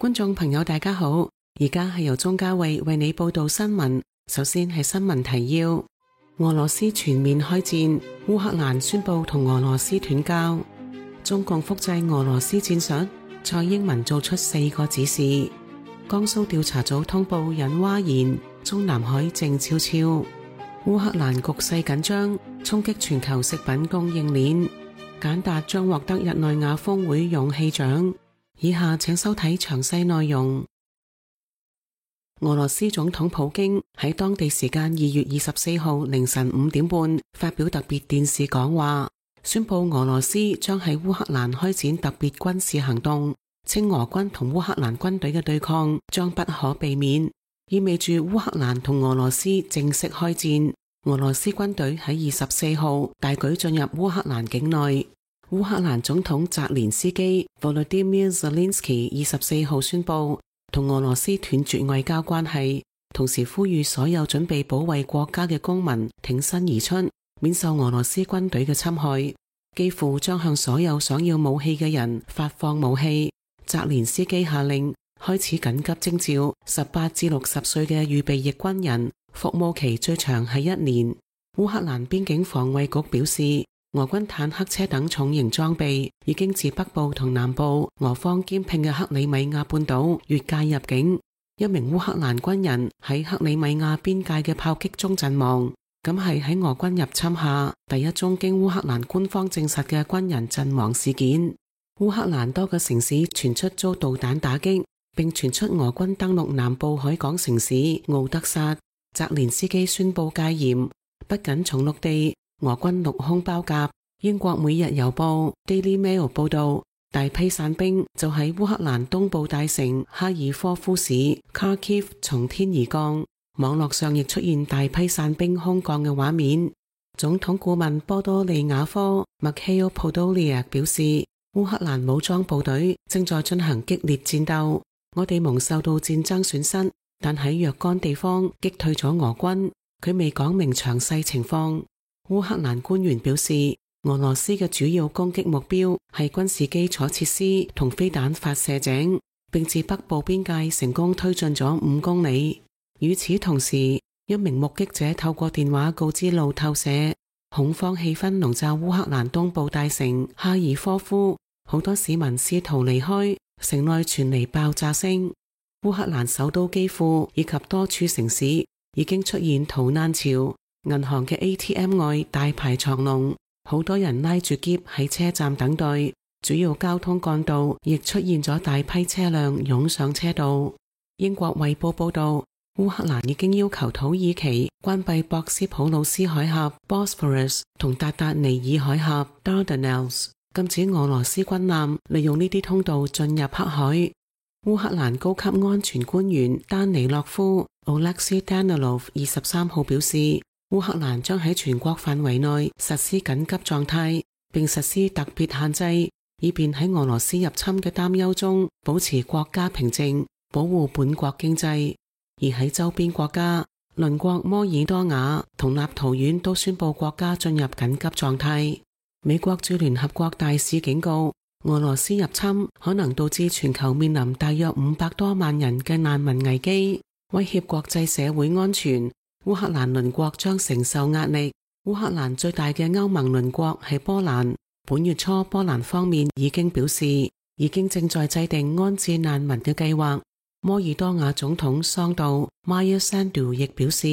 觀眾朋友大家好，而家係由鍾嘉慧為你報道新聞。首先係新聞提要：俄羅斯全面開戰，烏克蘭宣布同俄羅斯斷交。中共複製俄羅斯戰術，蔡英文做出4個指示。江蘇調查組通報引蛙言，中南海靜悄悄。烏克蘭局勢緊張，衝擊全球食品供應鏈。簡達將獲得日內瓦峰會勇氣獎。以下請收睇詳細內容。俄羅斯總統普京喺當地時間2月24號凌晨5點半發表特別電視講話，宣布俄羅斯將喺烏克蘭開展特別軍事行動，稱俄軍同烏克蘭軍隊嘅對抗將不可避免，意味住烏克蘭同俄羅斯正式開戰。俄羅斯軍隊喺24號大舉進入烏克蘭境內。烏克蘭總統澤連斯基 Volodymyr Zelensky 24號宣布同俄羅斯斷絕外交關係，同時呼籲所有準備保衛國家嘅公民挺身而出，免受俄羅斯軍隊嘅侵害。幾乎將向所有想要武器嘅人發放武器。澤連斯基下令開始緊急徵召18至60歲嘅預備役軍人，服務期最長係1年。烏克蘭邊境防衛局表示，俄軍坦克車等重型裝備已經自北部同南部俄方兼併嘅克里米亞半島越界入境。一名烏克蘭軍人喺克里米亞邊界嘅炮擊中陣亡，咁係喺俄軍入侵下第一宗經烏克蘭官方證實嘅軍人陣亡事件。烏克蘭多個城市傳出遭導彈打擊，並傳出俄軍登陸南部海港城市敖德薩。澤連斯基宣布戒嚴，不僅從陸地，俄軍陸空包夾。英國每日郵報 Daily Mail 報道，大批散兵就喺烏克蘭東部大城哈爾科夫市 Kharkiv 從天而降。網絡上亦出現大批散兵空降嘅畫面。總統顧問波多利亞科 Mikhail Podolyak 表示，烏克蘭武裝部隊正在進行激烈戰鬥，我哋蒙受到戰爭損失，但喺若干地方擊退咗俄軍。佢未講明詳細情況。烏克蘭官員表示，俄羅斯嘅主要攻擊目標係軍事基礎設施同飛彈發射井，並自北部邊界成功推進咗5公里。與此同時，一名目擊者透過電話告知路透社，恐慌氣氛籠罩烏克蘭東部大城哈爾科夫，好多市民試圖離開，城內傳嚟爆炸聲。烏克蘭首都基輔以及多處城市已經出現逃難潮，銀行嘅 ATM 外大排長龍，好多人拉住篋喺車站等待，主要交通幹道亦出現咗大批車輛湧上車道。英國衛報報道，烏克蘭已經要求土耳其關閉博斯普魯斯海峽 Bosphorus 同達達尼爾海峽 Dardanelles， 禁止俄羅斯軍艦利用呢啲通道進入黑海。烏克蘭高級安全官員丹尼洛夫 Oleksiy Danilov 23號表示，烏克蘭將喺全國範圍內實施緊急狀態，並實施特別限制，以便喺俄羅斯入侵嘅擔憂中保持國家平靜，保護本國經濟。而喺周邊國家，鄰國摩爾多瓦同立陶宛都宣布國家進入緊急狀態。美國駐聯合國大使警告，俄羅斯入侵可能導致全球面臨大約500多萬人嘅難民危機，威脅國際社會安全。烏克蘭鄰國將承受壓力。烏克蘭最大嘅歐盟鄰國係波蘭。本月初，波蘭方面已經表示，已經正在制定安置難民嘅計劃。摩爾多瓦總統桑杜 Maia Sandu 亦表示，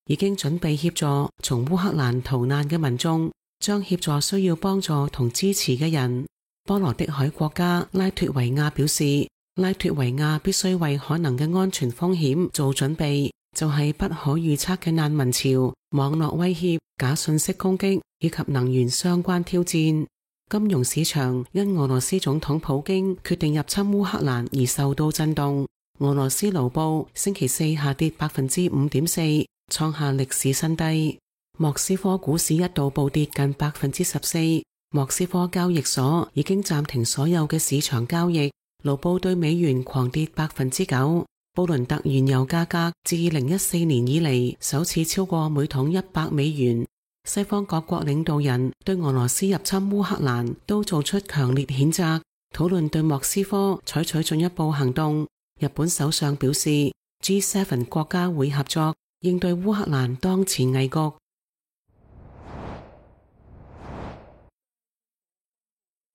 已經準備協助從烏克蘭逃難嘅民眾，將協助需要幫助同支持嘅人。波羅的海國家拉脫維亞表示，拉脫維亞必須為可能嘅安全風險做準備，就係不可預測嘅難民潮、網絡威脅、假信息攻擊以及能源相關挑戰。金融市場因俄羅斯總統普京決定入侵烏克蘭而受到震動。俄羅斯盧布星期四下跌 5.4%， 創下歷史新低。莫斯科股市一度暴跌近 14%。莫斯科交易所已經暫停所有嘅市場交易，盧布對美元狂跌 9%。布倫特原油價格自2014年以嚟首次超過每桶100美元。西方各國領導人對俄羅斯入侵烏克蘭都做出強烈譴責，討論對莫斯科採取進一步行動，日本首相表示 G7 國家會合作應對烏克蘭當前危局。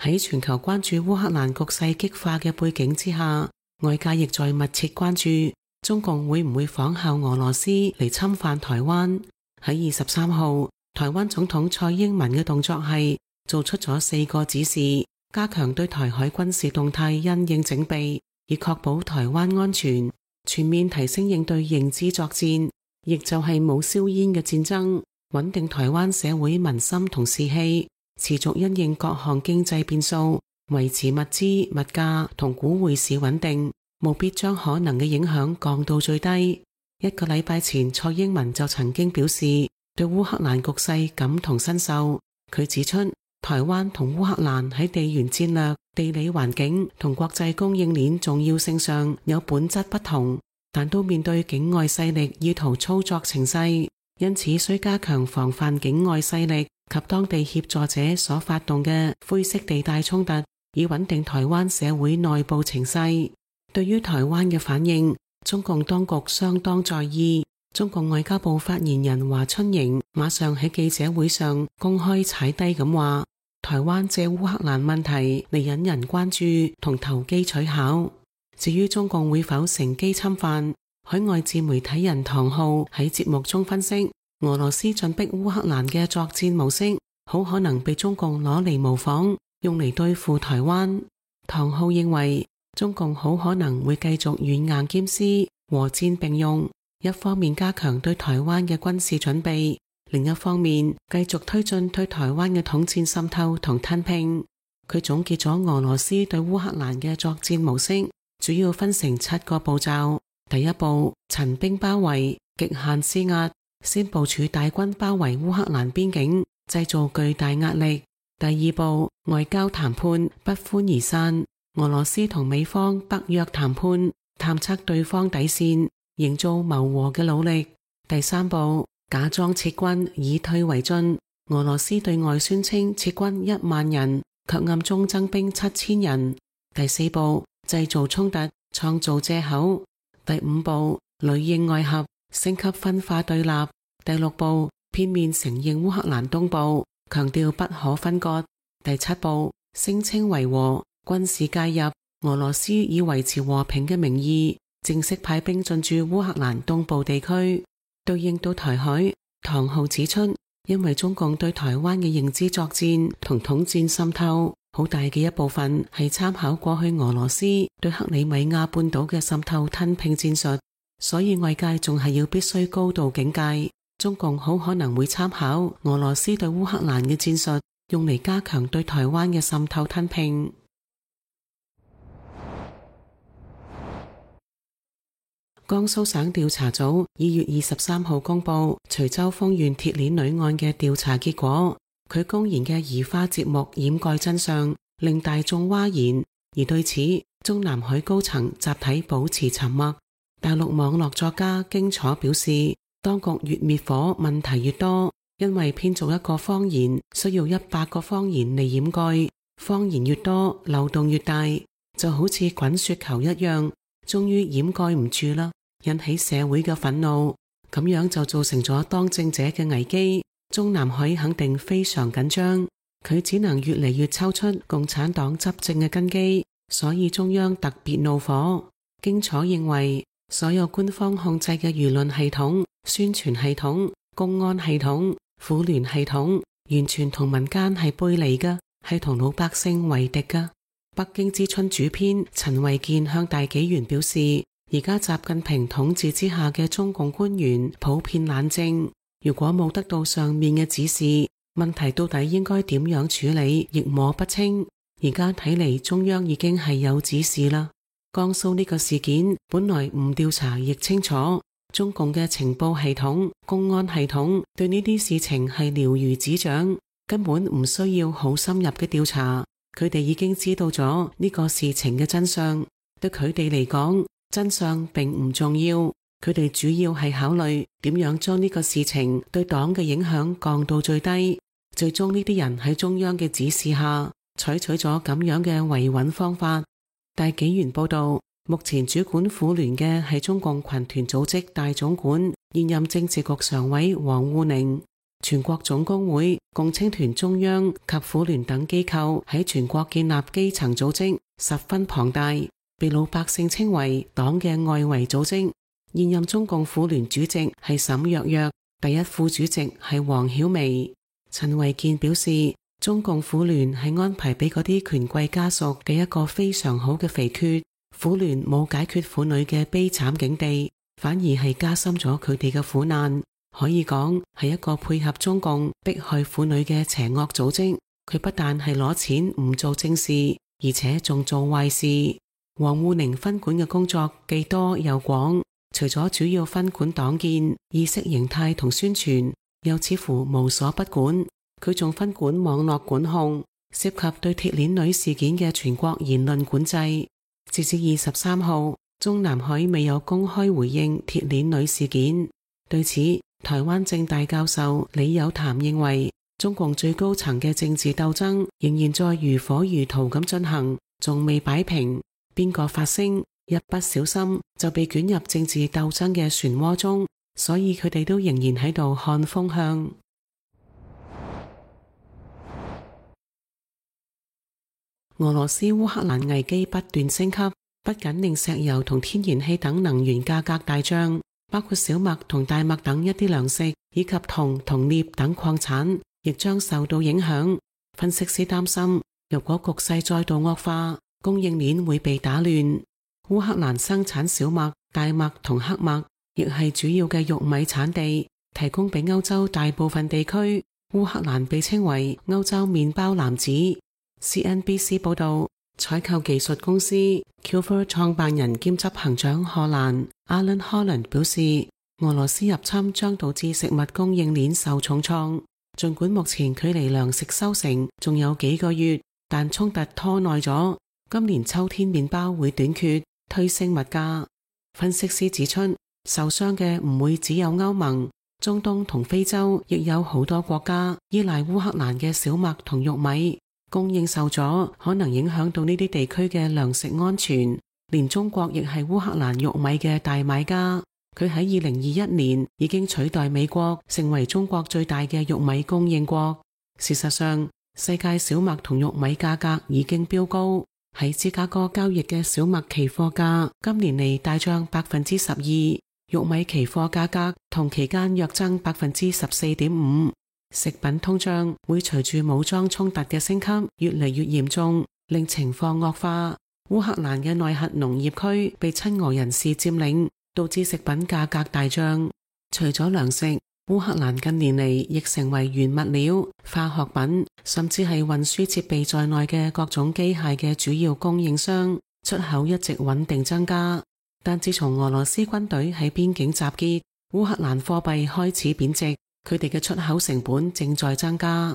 喺全球關注烏克蘭局勢激化嘅背景之下，外界亦在密切關注中共會唔會仿效俄羅斯嚟侵犯台灣。喺23號，台灣總統蔡英文嘅動作係做出咗4個指示，加強對台海軍事動態因應整備，以確保台灣安全，全面提升應對認知作戰，亦就係冇硝煙嘅戰爭，穩定台灣社會民心同士氣，持續因應各項經濟變數，維持物資、物價同股匯市穩定，務必將可能嘅影響降到最低。1個禮拜前，蔡英文就曾經表示對烏克蘭局勢感同身受。佢指出，台灣同烏克蘭喺地緣戰略、地理環境同國際供應鏈重要性上有本質不同，但都面對境外勢力意圖操作情勢，因此需加強防範境外勢力及當地協助者所發動嘅灰色地帶衝突，以穩定台灣社會內部情勢。對於台灣嘅反應，中共當局相當在意。中共外交部發言人華春瑩馬上喺記者會上公開踩低咁話，台灣借烏克蘭問題嚟引人關注同投機取巧。至於中共會否乘機侵犯，海外自媒體人唐浩喺節目中分析，俄羅斯進逼烏克蘭嘅作戰模式好可能被中共攞嚟模仿，用嚟對付台灣。唐浩認為，中共好可能會繼續軟硬兼施，和戰並用，一方面加強對台灣嘅軍事準備，另一方面繼續推進對台灣嘅統戰滲透同吞併。佢總結咗俄羅斯對烏克蘭嘅作戰模式，主要分成7個步驟。第一步，陳兵包圍，極限施壓，先部署大軍包圍烏克蘭邊境，製造巨大壓力。第二步，外交談判，不歡而散。俄羅斯同美方北約談判，探測對方底線，營造謀和嘅努力。第三步，假裝撤軍，以退為進。俄羅斯對外宣稱撤軍1萬人，卻暗中增兵7000人。第四步，製造衝突，創造借口。第五步，裏應外合，升級分化對立。第六步，片面承認烏克蘭東部，強調不可分割。第七步，聲稱維和，軍事介入，俄羅斯以維持和平嘅名義，正式派兵進駐烏克蘭東部地區。對應到台海，唐浩指出，因為中共對台灣嘅認知作戰同統戰滲透，好大嘅一部分係參考過去俄羅斯對克里米亞半島嘅滲透吞併戰術，所以外界仲係要必須高度警戒，中共好可能會參考俄羅斯對烏克蘭嘅戰術，用嚟加強對台灣嘅滲透吞併。江蘇省調查組2月23號公布徐州豐縣鐵鏈女案嘅調查結果，佢公然嘅移花接木掩蓋真相，令大眾譁然。而對此，中南海高層集體保持沉默。大陸網絡作家荊楚表示，當局越滅火問題越多，因為編造一個謊言需要100個謊言嚟掩蓋，謊言越多漏洞越大，就好似滾雪球一樣，終於掩蓋唔住啦，引起社會嘅憤怒，咁樣就造成咗當政者嘅危機。中南海肯定非常緊張，佢只能越嚟越抽出共產黨執政嘅根基，所以中央特別怒火。荊楚認為，所有官方控制嘅輿論系統、宣傳系統、公安系統、婦聯系統，完全同民間係背離嘅，係同老百姓為敵嘅。北京之春主編陳維健向大紀元表示，而家習近平統治之下嘅中共官員普遍懶政，如果冇得到上面嘅指示，問題到底應該點樣處理亦摸不清。而家睇嚟，中央已經係有指示啦。江蘇呢個事件本來唔調查亦清楚，中共嘅情報系統、公安系統對呢啲事情係了如指掌，根本唔需要好深入嘅調查，佢哋已經知道咗呢個事情嘅真相。對佢哋嚟講，真相並唔重要，佢哋主要係考慮點樣將呢個事情對黨嘅影響降到最低。最終呢啲人喺中央嘅指示下，採取咗咁樣嘅維穩方法。大紀元報道，目前主管婦聯嘅係中共群團組織大總管現任政治局常委王滬寧。全國總工會、共青團中央及婦聯等機構喺全國建立基層組織，十分龐大，被老百姓稱為黨嘅外圍組織。現任中共婦聯主席係沈躍躍，第一副主席係黃曉薇。陳維健表示，中共婦聯係安排俾嗰啲權貴家屬嘅一個非常好嘅肥缺，婦聯冇解決婦女嘅悲慘境地，反而係加深咗佢哋嘅苦難。可以講係一個配合中共迫害婦女嘅邪惡組織。佢不但係攞錢唔做正事，而且仲做壞事。王滬寧分管嘅工作既多又廣，除咗主要分管黨建、意識形態同宣傳，又似乎無所不管。佢仲分管網絡管控，涉及對鐵鏈女事件嘅全國言論管制。截至23號，中南海未有公開回應鐵鏈女事件。對此，台灣政大教授李有潭認為，中共最高層嘅政治鬥爭仍然在如火如荼咁進行，仲未擺平。邊個發聲，一不小心就被捲入政治鬥爭嘅漩渦中，所以佢哋都仍然喺度看風向。俄羅斯烏克蘭危機不斷升級，不僅令石油同天然氣等能源價格大漲，包括小麥同大麥等一啲糧食，以及銅同鎳等礦產，亦將受到影響。分析師擔心，如果局勢再度惡化，供應鏈會被打亂。烏克蘭生產小麥、大麥同黑麥，亦係主要嘅玉米產地，提供俾歐洲大部分地區。烏克蘭被稱為歐洲麵包男子。CNBC 報道，採購技術公司 Kilfer 創辦人兼執行長荷蘭 Alan Holland 表示，俄羅斯入侵將導致食物供應鏈受重創。盡管目前距離糧食收成仲有幾個月，但衝突拖耐咗，今年秋天麵包會短缺，推升物價。分析師指出，受傷嘅唔會只有歐盟，中東同非洲亦有好多國家依賴烏克蘭嘅小麥同玉米。供應受阻，可能影響到呢啲地區嘅糧食安全。連中國亦係烏克蘭玉米嘅大買家，佢喺2021年已經取代美國成為中國最大嘅玉米供應國。事實上，世界小麥同玉米價格已經飆高，喺芝加哥交易嘅小麥期貨價今年嚟大漲12%，玉米期貨價格同期間約增14.5%。食品通脹會隨住武裝衝突嘅升級越嚟越嚴重，令情況惡化。烏克蘭嘅內核農業區被親俄人士佔領，導致食品價格大漲。除咗糧食，烏克蘭近年嚟亦成為原物料、化學品，甚至係運輸設備在內嘅各種機械嘅主要供應商，出口一直穩定增加。但自從俄羅斯軍隊喺邊境集結，烏克蘭貨幣開始貶值。佢哋嘅出口成本正在增加。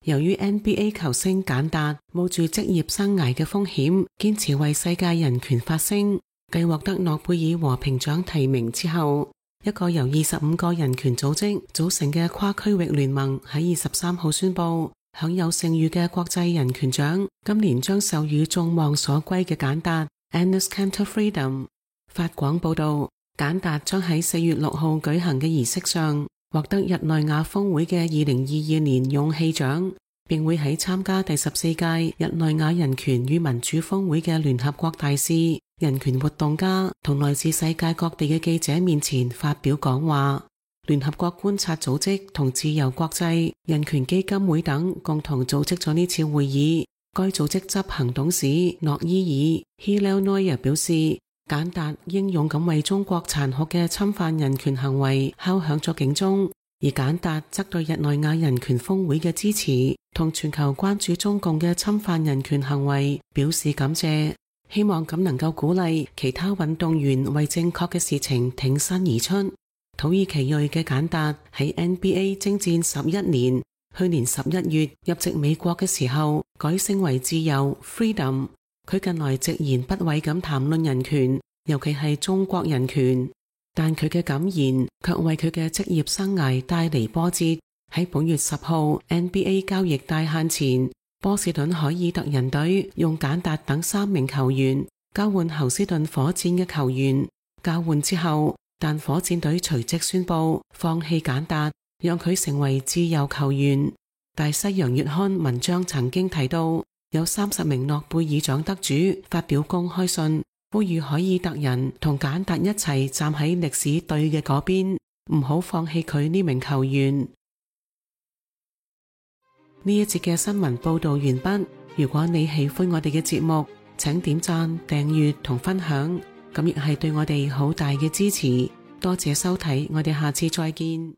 由於 NBA 球星簡達冒住職業生涯嘅風險，堅持為世界人權發聲，繼獲得諾貝爾和平獎提名之後，一個由25個人權組織組成嘅跨區域聯盟喺23號宣布，享有盛譽嘅國際人權獎今年將授予眾望所歸嘅簡達 Enes Kanter Freedom。法廣報道，簡達將喺4月6號舉行嘅儀式上獲得日內瓦峰會嘅2022年勇氣獎，並會喺參加第14屆日內瓦人權與民主峰會嘅聯合國大使、人權活動家同來自世界各地嘅記者面前發表講話。聯合國觀察組織同自由國際人權基金會等共同組織咗呢次會議。該組織執行董事諾伊爾 Hillel Neuer 表示，簡達英勇咁為中國殘酷嘅侵犯人權行為敲響咗警鐘，而簡達則對日內瓦人權峰會嘅支持同全球關注中共嘅侵犯人權行為表示感謝，希望咁能夠鼓勵其他運動員為正確嘅事情挺身而出。土耳其裔嘅簡達喺 NBA 征戰11年，去年11月入籍美國嘅時候改姓為自由 Freedom。佢近來直言不諱咁談論人權，尤其係中國人權，但佢嘅感言卻為佢嘅職業生涯帶嚟波折。喺本月10號 NBA 交易大限前，波士頓凱爾特人隊用簡達等3名球員交換侯斯頓火箭嘅球員，交換之後，但火箭隊隨即宣布放棄簡達，讓佢成為自由球員。大西洋月刊文章曾經提到，有30名諾貝爾獎得主發表公開信，呼籲凱爾特人同簡達一齊站喺歷史對嘅嗰邊，唔好放棄佢呢名球員。呢一節嘅新聞報道完畢。如果你喜歡我哋嘅節目，請點讚、訂閱同分享，咁亦係對我哋好大嘅支持。多謝收睇，我哋下次再見。